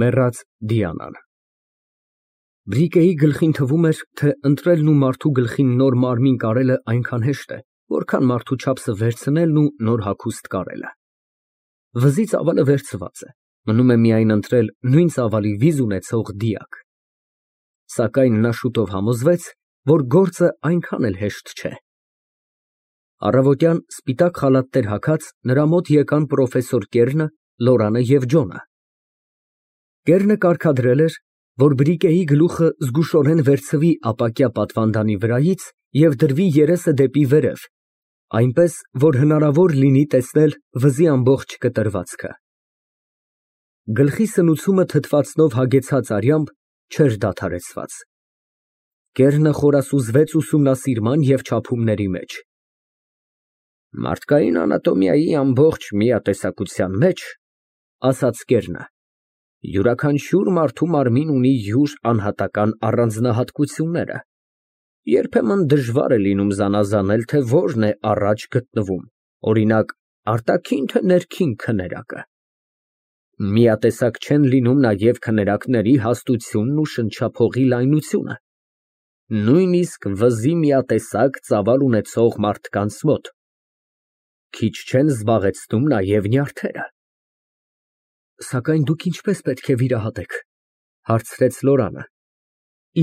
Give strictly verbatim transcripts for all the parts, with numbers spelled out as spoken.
Մեռած Դիանան։ Բրիկեի գլխին թվում էր, թե ընտրելն ու մարդու գլխին նոր մարմին կարելը այնքան հեշտ է, որքան մարդու չափսը վերցնելն ու նոր հագուստ կարելը։ Վզի ծավալը վերցված է, մնում է միայն ընտրել նույն ծավալի վիզ ունեցող դիակ։ Սակայն նա շուտով համոզվեց, որ գործը այնքան էլ հեշտ չէ։ Առավոտյան սպիտակ խալաթներ հագած նրա մոտ եկան պրոֆեսոր Կերնը, Լորանը և Ջոնը։ Կերնը կարգադրել էր, որ Բրիկեի գլուխը զգուշորեն վերցվի ապակյա պատվանդանի վրայից և դրվի երեսը դեպի վերև, այնպես, որ հնարավոր լինի տեսնել վզի ամբողջ կտրվածքը։ Գլխի սնուցումը թթվածնով հագեցած արյամբ չէր դադարեցված։ Կերնը խորասուզվեց ուսումնասիրման և չափումների մեջ։ Մարդկային անատոմիայի ամբողջ միատեսակության մեջ, ասաց Կերնը, յուրաքանչյուր մարդու մարմին ունի յուր անհատական առանձնահատկությունները, երբեմն դժվար է լինում զանազանել, թե որն է առաջ գտնվում, օրինակ, արտաքին թե ներքին քներակը։ Միատեսակ չեն լինում նաև քներակների հաստությունն ու շնչափողի լայնությունը, նույնիսկ վզի միատեսակ ծավալ ունեցող մարդկանց մոտ։ Քիչ չեն զբաղեցնում նաև նյարդերը։ Սակայն դուք ինչպես պետք է վիրահատեք, հարցրեց Լորանը։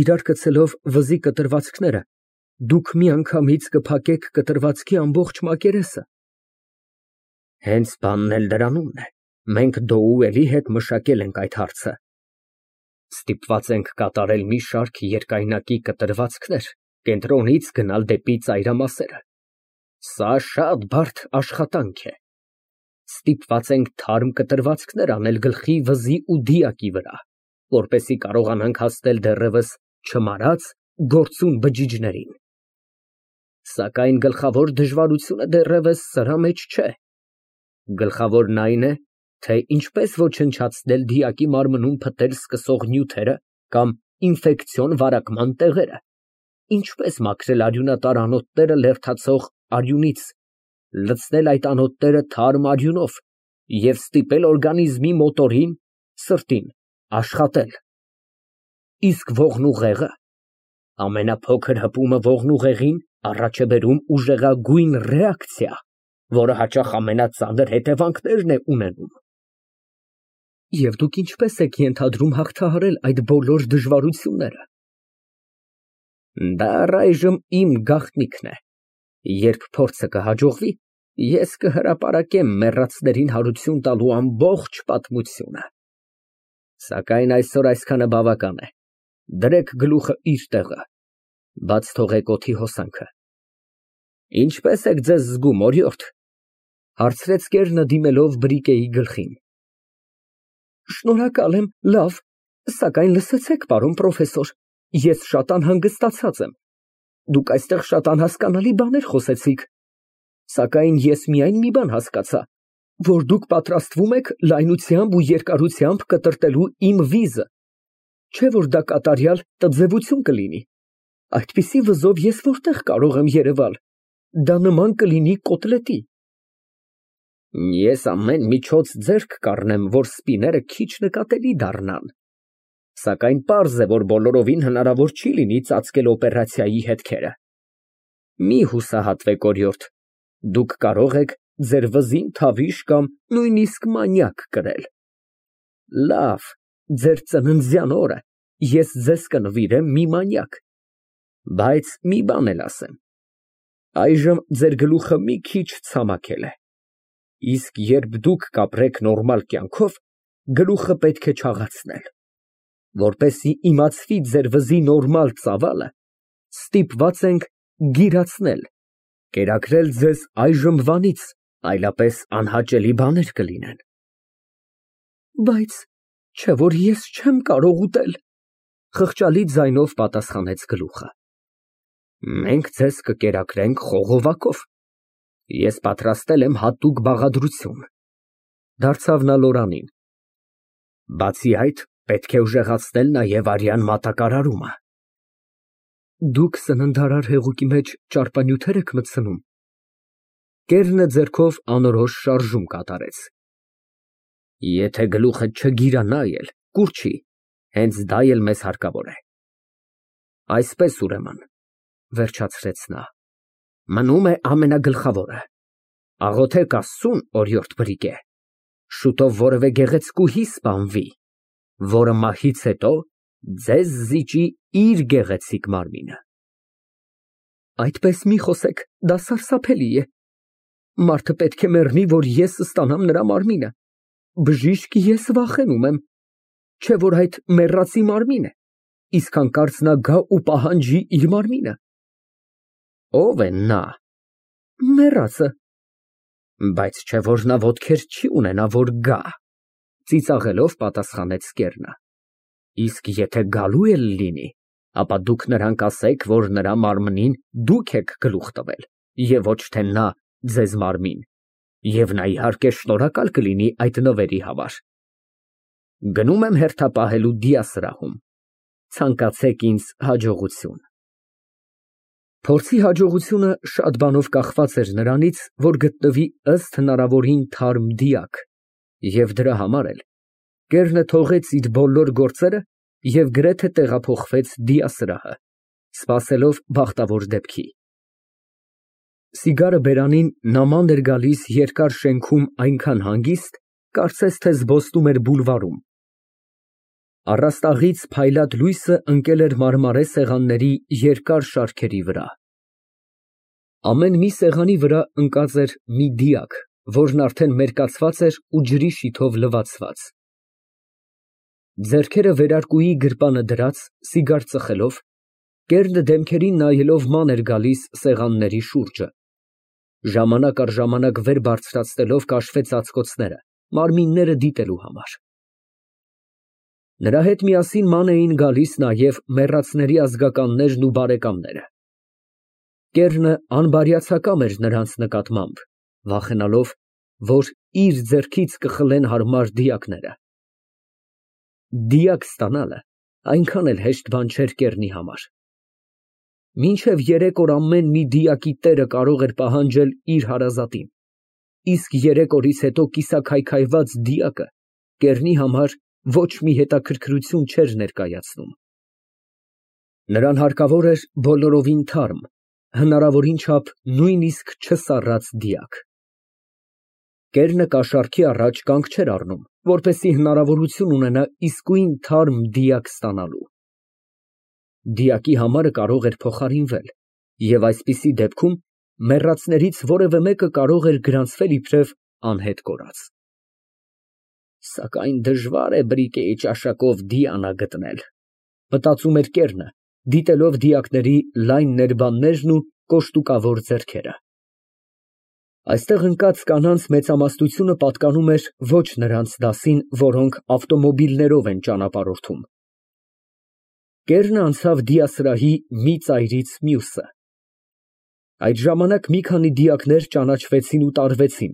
Իրար գցելով վզի կտրվածքները, դուք միանգամից կփակեք կտրվածքի ամբողջ մակերեսը։ Հենց բանն էլ դրանումն է, մենք Դոուելի հետ մշակել ենք այդ հարցը։ Ստիպված ենք կատարել մի շարք երկայնակի կտրվածքներ, կենտրոնից գնալ դեպի ծայրամասերը։ Սա շատ բարդ աշխատանք է։ Ստիպված ենք թարմ կտրվածքներ անել գլխի, վզի ու դիակի վրա, որպեսզի կարողանանք հասնել դեռևս չմարած գործուն բջիջներին։ Սակայն գլխավոր դժվարությունը դեռևս սրա մեջ չէ։ Գլխավորն այն է, թե ինչպես ոչնչացնել դիակի մարմնում փտել սկսող նյութերը կամ ինֆեկցիոն վարակման տեղերը, ինչպես մաքրել արյունատար անոթները լերդացող արյունից, լցնել այդ անոթները թարմ արյունով և ստիպել օրգանիզմի մոտորին, սրտին, աշխատել։ Իսկ ողնուղեղը, ամենափոքր հպումը ողնուղեղին առաջ է բերում ուժեղագույն ռեակցիա, որը հաճախ ամենածանր հետևանքներն է ունենում։ Եվ դուք ինչպես եք ենթադրում հաղթահարել այդ բոլոր դժվարությունները։ Դա առայժմ իմ գաղտնիքն է։ Երբ փորձը կհաջողվի, ես կհրապարակեմ մեռածներին հարություն տալու ամբողջ պատմությունը։ Սակայն այսօր այսքանը բավական է։ Դրեք գլուխը իր տեղը, բաց թողեք օդի հոսանքը։ Ինչպե՞ս եք ձեզ զգում, օրիորդ, հարցրեց Կերնը, դիմելով Բրիկեի գլխին։ Շնորհակալ եմ, լավ, սակայն լսեցեք, պարոն պրոֆեսոր, ես շատ անհանգստացած եմ։ Դուք այստեղ շատ անհասկանալի բաներ խոսեցիք, սակայն ես միայն մի բան հասկացա, որ դուք պատրաստվում եք լայնությամբ ու երկարությամբ կտրտելու իմ վիզը, չէ՞ որ դա կատարյալ տձևություն կլինի։ Այդպիսի վզով ես որտեղ կարող եմ երևալ, դա նման կլինի կոտլետի։ Ես ամեն միջոց ձեռք կառնեմ, որ սպիները քիչ նկատելի դառնան, սակայն պարզ է, որ բոլորովին հնարավոր չի լինի ծածկել օպերացիայի հետքերը։ Մի հուսահատվեք, օրիորդ, դուք կարող եք ձեր վզին թավիշ կամ նույնիսկ մանյակ կրել։ Լավ, ձեր ծննդյան օրը ես ձեզ կնվիրեմ մի մանյակ, բայց մի բան էլ ասեմ, այժմ ձեր գլուխը մի քիչ ցամաքել է, իսկ երբ դուք կապրեք նորմալ կյանքով, գլուխը պետք է չաղացնել, որպեսզի իմացվի ձեր վզի նորմալ ծավալը, ստիպված ենք գիրացնել, կերակրել ձեզ այժմվանից, այլապես անհաճելի բաներ կլինեն։ Բայց չէ՞ որ ես չեմ կարող ուտել, խղճալի ձայնով պատասխանեց գլուխը։ Մենք ձեզ կկերակրենք խողովակով։ Ես պատրաստել եմ հատուկ բաղադրություն, դարձավ նա Լորանին։ Բացի այդ, պետք է ուժեղացնել նաև արյան մատակարարումը։ Դուք սննդարար հեղուկի մեջ ճարպանյութեր եք մտցնում։ Կերնը ձեռքով անորոշ շարժում կատարեց։ Եթե գլուխդ չգիրանա էլ, կուռչի, հենց դա էլ մեզ հարկավոր է։ Այսպես, ուրեմն, վերջացրեց նա, մնում է ամենագլխավորը, աղոթեք Աստծուն, օրիորդ Բրիգե, շուտով որևէ գեղեցկուհի սպանվի, որը մահից հետո ձեզ զիջի իր գեղեցիկ մարմինը։ Այդպես մի խոսեք, դա սարսափելի է։ Մարդը պետք է մեռնի, որ ես ստանամ նրա մարմինը։ Բժիշկ ես վախենում եմ, չէ որ այդ մեռածի մարմին է, իսկ հանկարծ նա գա ու պահանջի իր մարմինը։ Ո՞վ է նա։ Մեռածը։ Բայց չէ որ նա ոտքեր չի ունենա, որ գա, ծիծաղելով պատասխանեց Կեռնը։ Իսկ եթե գալու էլ լինի, ապա դուք նրան կասեք, որ նրա մարմնին դուք եք գլուխ տվել, և ոչ թե նա ձեզ մարմին, և նա իհարկե շնորհակալ կլինի այդ նվերի համար։ Գնում եմ հերթապահելու դիասրահում, ցանկացեք ինձ հաջողություն։ Փորձի հաջողությունը շատ բանով կախված էր նրանից, որ գտնվի ըստ հնարավորին թարմ դիակ, և դրա համար էլ Կեռնը թողեց իր բոլոր գործերը և գրեթե տեղափոխվեց դիասրահը, սպասելով բախտավոր դեպքի։ Սիգարը բերանին նման էր գալիս երկար շենքում այնքան հանգիստ, կարծես թե զբոսնում էր բուլվարում։ Առաստաղից փայլատ լույսը ընկել էր մարմարե սեղանների երկար շարքերի վրա։ Ամեն մի սեղանի վրա ընկած էր մի դիակ, որն արդեն մերկացված էր ու ջրի շիթով լվացված։ Ձեռքերը վերարկուի գրպանը դրած, սիգար ծխելով, Կեռնը դեմքերին նայելով ման էր գալիս սեղանների շուրջը։ Ժամանակ առ ժամանակ վեր բարձրացնելով քաշվեց ածկոցները, մարմինները դիտելու համար։ Նրա հետ միասին ման էին գալիս նաև մեռածների ազգականներն ու բարեկամները։ Կեռնը անբարյացակամ էր նրանց նկատմամբ, վախենալով, որ իր ձեռքից կխլեն հարմար դիակները։ Դիակ ստանալը այնքան էլ հեշտ բան չէր Կեռնի համար։ Մինչև երեք օր ամեն մի դիակի տերը կարող էր պահանջել իր հարազատին, իսկ երեք օրից հետո կիսաքայքայված դիակը Կեռնի համար ոչ մի հետաքրքրություն չէր ներկայացնում։ Նրան հարկավոր էր բոլորովին թարմ, հնարավորին չափ նույնիսկ չսառած դիակ։ Կեռնը կաշառքի առաջ կանգ չէր առնում, որպեսզի հնարավորություն ունենա իսկույն թարմ դիակ ստանալու։ Դիակի համարը կարող էր փոխարինվել, և այսպիսի դեպքում մեռածներից որևէ մեկը կարող էր գրանցվել իբրև անհետ կորած։ Սակայն դժվար է Բրիկեի ճաշակով Դիանա գտնել, մտածում էր Կեռնը, դիտելով դիակների լայն ներբաններն ու կոշտուկավոր ձեռքերը։ Այստեղ ընկած կանանց մեծամասնությունը պատկանում էր ոչ նրանց դասին, որոնք ավտոմոբիլներով են ճանապարհորդում։ Կեռնը անցավ դիասրահի մի ծայրից մյուսը։ Այդ ժամանակ մի քանի դիակներ ճանաչվեցին ու տարվեցին,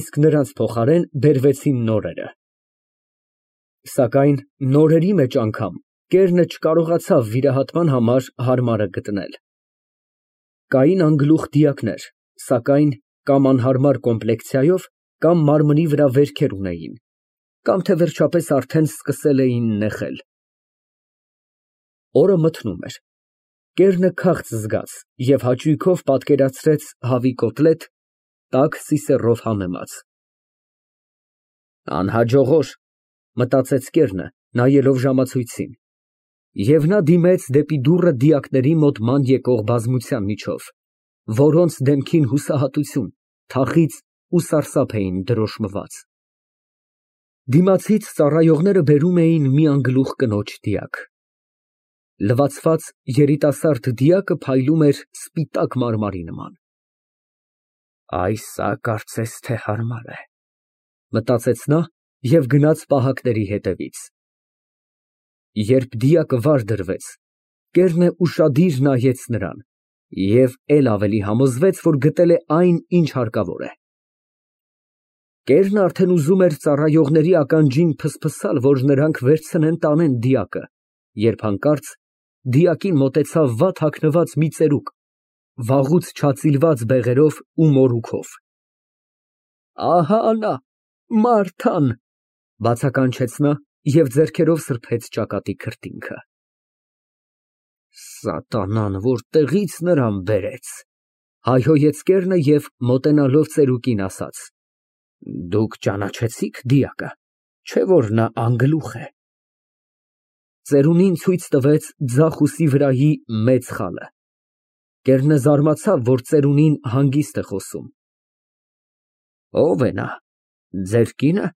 իսկ նրանց փոխարեն բերվեցին նորերը։ Սակայն նորերի մեջ անգամ Կեռնը չկարողացավ վիրահատման համար հարմարը գտնել։ Կային անգլուխ դիակներ, սակայն կամ անհարմար կոմպլեկցիայով, կամ մարմնի վրա վերքեր ունեին, կամ թե վերջապես արդեն սկսել էին նեղել։ Օրը մթնում էր։ Կեռնը քաղց զգաց և հաճույքով պատկերացրեց հավի կոտլետ, տաք սիսեռով համեմած։ Անհաջող օր, մտածեց Կեռնը, նայելով ժամացույցին, և նա դիմեց դեպի դուռը դիակների մոտ ման եկող բազմության միջով, որոնց դեմքին հուսահատություն, թախիծ ու սարսափ էին դրոշմված։ Դիմացից ծառայողները բերում էին մի անգլուխ կնոջ դիակ։ Լվացված երիտասարդ դիակը փայլում էր սպիտակ մարմարի նման։ Այսա կարծես թե հարմար է, մտածեց նա և գնաց պահակների հետևից։ Երբ դիակը վար դրվեց, Կեռնը ուշադիր նայեց նրան և էլ ավելի համոզվեց, որ գտել է այն, ինչ հարկավոր է։ Կեռնը արդեն ուզում էր ծառայողների ականջին փսփսալ, որ նրանք վերցնեն տանեն դիակը, երբ հանկարծ դիակին մոտեցավ վատ հագնված մի ծերուկ, վաղուց չածիլված բեղերով ու մորուքով։ Ահա նա, Մարթան, բացականչեց նա և ձեռքերով սրբեց ճակատի քրտինքը։ Սատանան որտեղի՞ց նրան բերեց, հայհոյեց կեռը և մոտենալով ծերուկին ասաց. Դուք ճանաչեցի՞ք դիակը, չէ՞ որ նա անգլուխ է։ Ծերունին ցույց տվեց ձախ ուսի վրայի մեծ խալը։ Կեռնը զարմացավ, որ ծերունին հանգիստ է խոսում։ Ո՞վ է նա, ձեր կի՞նը,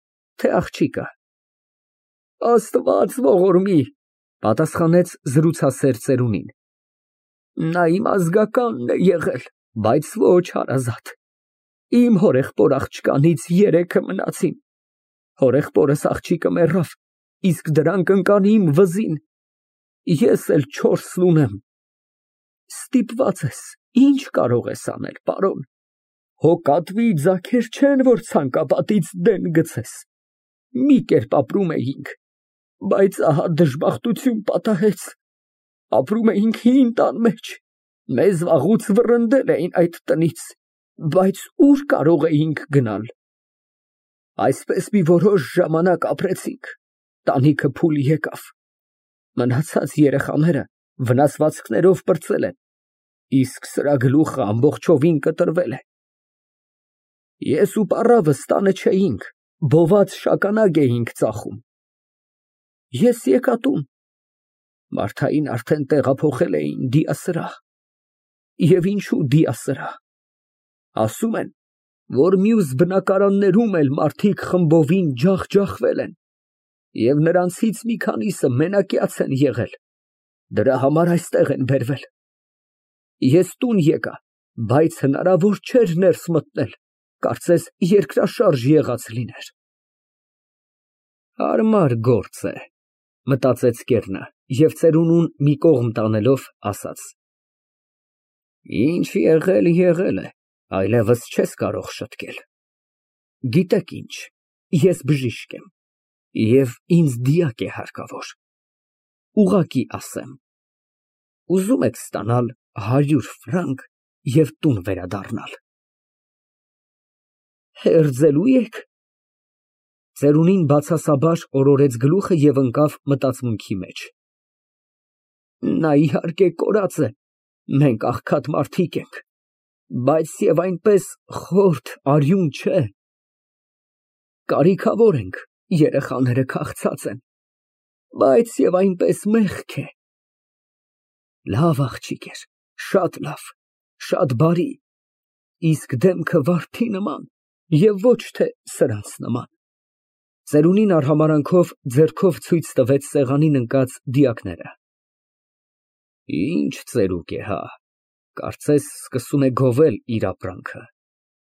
թե աղջիկը։ Աստված ողորմի, պատասխանեց զրուցասեր ծերունին։ Նա իմ ազգականն է եղել, բայց ոչ հարազատ։ Իմ հորեղբոր աղջկանից երեքը մնացին։ Հորեղբորս աղջիկը մեռավ, իսկ դրանք ընկան իմ վզին։ Ես էլ չորսն ունեմ։ Ստիպված ես, ինչ կարող ես անել, պարոն։ Հոգատվի ձագեր չեն, որ ցանկապատից դեն գցես։ Մի կերպ ապրում էինք, բայց ահա դժբախտություն պատահեց։ Ապրում էինք հին տան մեջ, մեզ վաղուց վռնդել էին այդ տնից, բայց ուր կարող էինք գնալ։ Այսպես մի որոշ ժամանակ ապրեցինք, տանիքը փուլ եկավ։ Մնացած երեխաները վնասվածքներով պրծել են, իսկ սրա գլուխը ամբողջովին կտրվել է։ Ես ու պառավս տանը չէինք, բոված շագանակ էինք ծախում։ Ես եկա տուն, Մարթային արդեն տեղափոխել էին դիասրահ։ Եվ ինչու դիասրահ։ Ասում են, որ մյուս բնակարաններում էլ մարդիկ խմբովին ջախջախվել են, և նրանցից մի քանիսը մենակյաց են եղել, դրա համար այստեղ են բերվել։ Ես տուն եկա, բայց հնարավոր չէր ներս մտնել, կարծես երկրաշարժ եղած լիներ։ Հարմար գործ է, մտածեց կեռնը և ծերունուն մի կողմ տանելով ասաց. Ինչ եղել, եղել է, այլևս չես կարող շտկել։ Գիտեք ինչ, ես բժիշկ եմ, և ինձ դիակ է հարկավոր։ Ուղղակի ասեմ, ուզում եք ստանալ հարյուր ֆրանկ և տուն վերադառնալ։ Հերձելո՞ւ եք։ Ծերունին բացասաբար օրորեց գլուխը և ընկավ մտածմունքի մեջ։ Նա իհարկե կորած է, մենք աղքատ մարդիկ ենք, բայց և այնպես խորթ արյուն չէ։ Կարիքավոր ենք, երեխաները քաղցած են, բայց և այնպես մեղք է։ Լավ աղջիկ էր, շատ լավ, շատ բարի, իսկ դեմքը վարդի նման և ոչ թե սրանց նման։ Ծերունին արհամարհանքով ձեռքով ցույց տվեց սեղանին ընկած դիակները։ Ինչ ծերուկ է, հա, կարծես սկսում է գովել իր ապրանքը,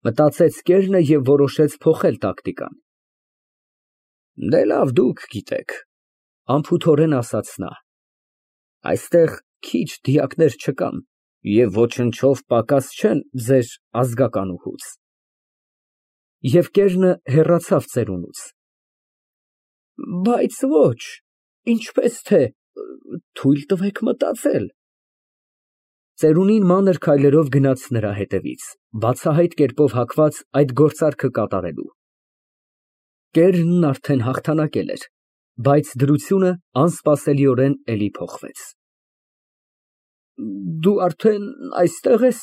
մտածեց կեռնը և որոշեց փոխել տակտիկան։ Դե լավ, դուք գիտեք, անփութորեն ասաց նա, այստեղ քիչ դիակներ չկան և ոչնչով պակաս չեն ձեր ազգականուհուց։ Եվ կեռնը հեռացավ ծերունուց։ Բայց ոչ, ինչպես թե, թույլ տվեք մտածել։ Ծերունին մանր քայլերով գնաց նրա հետևից, բացահայտ կերպով հագված այդ գործարքը կատարելու։ Կեռնն արդեն հաղթանակել էր, բայց դրությունը անսպասելիորեն էլի փոխվեց։ Դու արդեն այստեղ ես,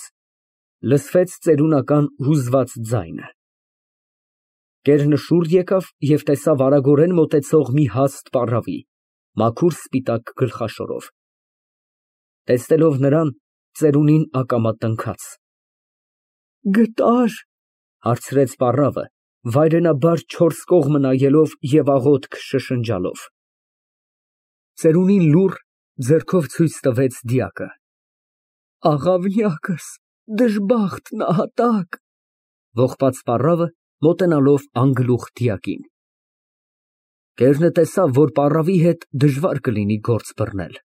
լսվեց ծերունական հուզված ձայնը։ Կեռնը շուռ եկավ և տեսավ արագորեն մոտեցող մի հաստ պառավի, մաքուր սպիտակ գլխաշորով։ Տեսնելով նրան, ծերունին ակամա տնքաց։ Գտա՞ր, հարցրեց պառավը, վայրենաբար չորս կողմը նայելով և աղոթք շշնջալով։ Ծերունին լուռ, ձեռքով ցույց տվեց դիակը։ Աղավնյակս, դժբախտ նահատակ, ողբաց պառավը, մոտենալով անգլուխ դիակին։ Կեռնը տեսավ, որ պառավի հետ դժվար կլինի գործ բռնել։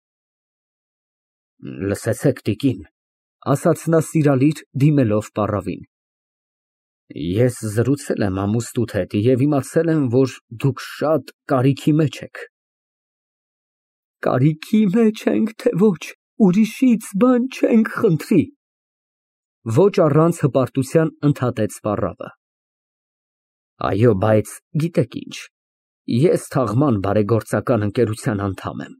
Լսեցեք, տիկին, ասաց նա սիրալիր, դիմելով պառավին, ես զրուցել եմ ամուսնուդ հետ և իմացել եմ, որ դուք շատ կարիքի մեջ եք։ Կարիքի մեջ ենք, թե ոչ, ուրիշից բան չենք խնդրի, ոչ առանց հպարտության ընդհատեց պառավը։ Այո, բայց գիտեք ինչ, Ես թաղման բարեգործական ընկերության անդամ եմ,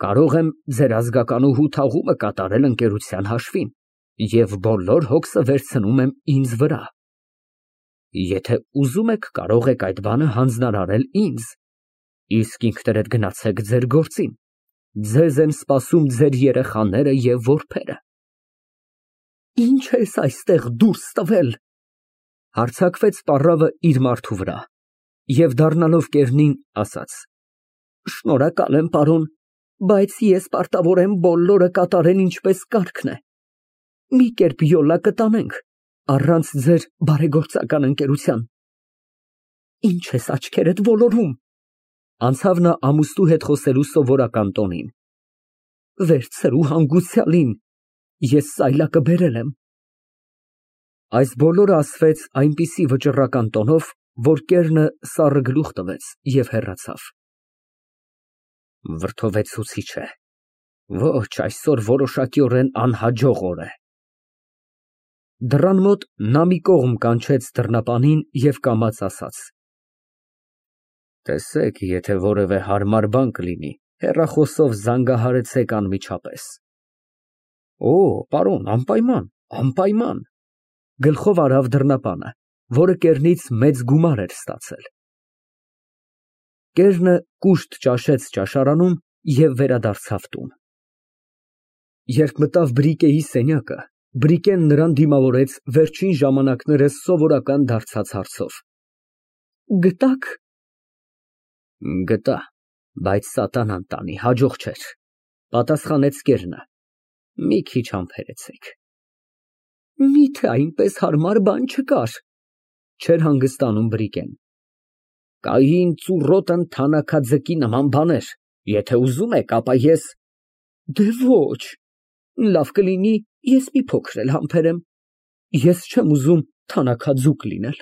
կարող եմ ձեր ազգականուհու թաղումը կատարել ընկերության հաշվին և բոլոր հոգսը վերցնում եմ ինձ վրա։ Եթե ուզում եք, կարող եք այդ բանը հանձնարարել ինձ, իսկ ինքներդ գնացեք ձեր գործին, ձեզ են սպասում ձեր երեխաները և որբերը։ Ի՞նչ ես այստեղ դուրս տվել, հարձակվեց պառավը իր մարդու վրա և դառնալով կեռնին, ասաց. Շնորհակալ եմ, պարոն, բայց ես պարտավոր եմ բոլորը կատարել ինչպես կարգն է։ Մի կերպ յոլա կտանենք, առանց ձեր բարեգործական ընկերության։ Ինչ ես աչքերդ ոլորում, անցավ նա ամուսնու հետ խոսելու սովորական տոնին։ Վերցրու հանգուցյալին, ես սայլակը բերել եմ։ Այս բոլորը ասվեց այնպիսի վճռական տոնով, որ կեռնը սառը գլուխ տվեց և հեռացավ։ Վրդովեցուցիչ է, ոչ, այսօր որոշակիորեն անհաջող օր է։ Դռան մոտ նա մի կողմ կանչեց դռնապանին և կամաց ասաց. Տեսեք, եթե որևէ հարմար բան կլինի, հեռախոսով զանգահարեցեք անմիջապես։ Օ, պարոն, անպայման, անպայման, գլխով արավ դռնապանը, որը կեռնից մեծ գումար էր ստացել։ Կեռնը կուշտ ճաշեց ճաշարանում և վերադարձավ տուն։ Երբ մտավ Բրիկեի սենյակը, Բրիկեն նրան դիմավորեց վերջին ժամանակներս սովորական դարձած հարցով. Գտա՞ք։ Գտա, բայց սատանան տանի, հաջող չէր, պատասխանեց կեռնը, մի քիչ համբերեցեք։ Միթե այնպես հարմար բան չկար, չէր հանգստանում Բրիկեն։ Կային ծուռոտ ընթանաքաձկի նման բաներ, եթե ուզում եք, ապա ես… Դե ոչ, լավ կլինի, ես մի փոքր էլ համբերեմ, ես չեմ ուզում թանաքաձուկ լինել։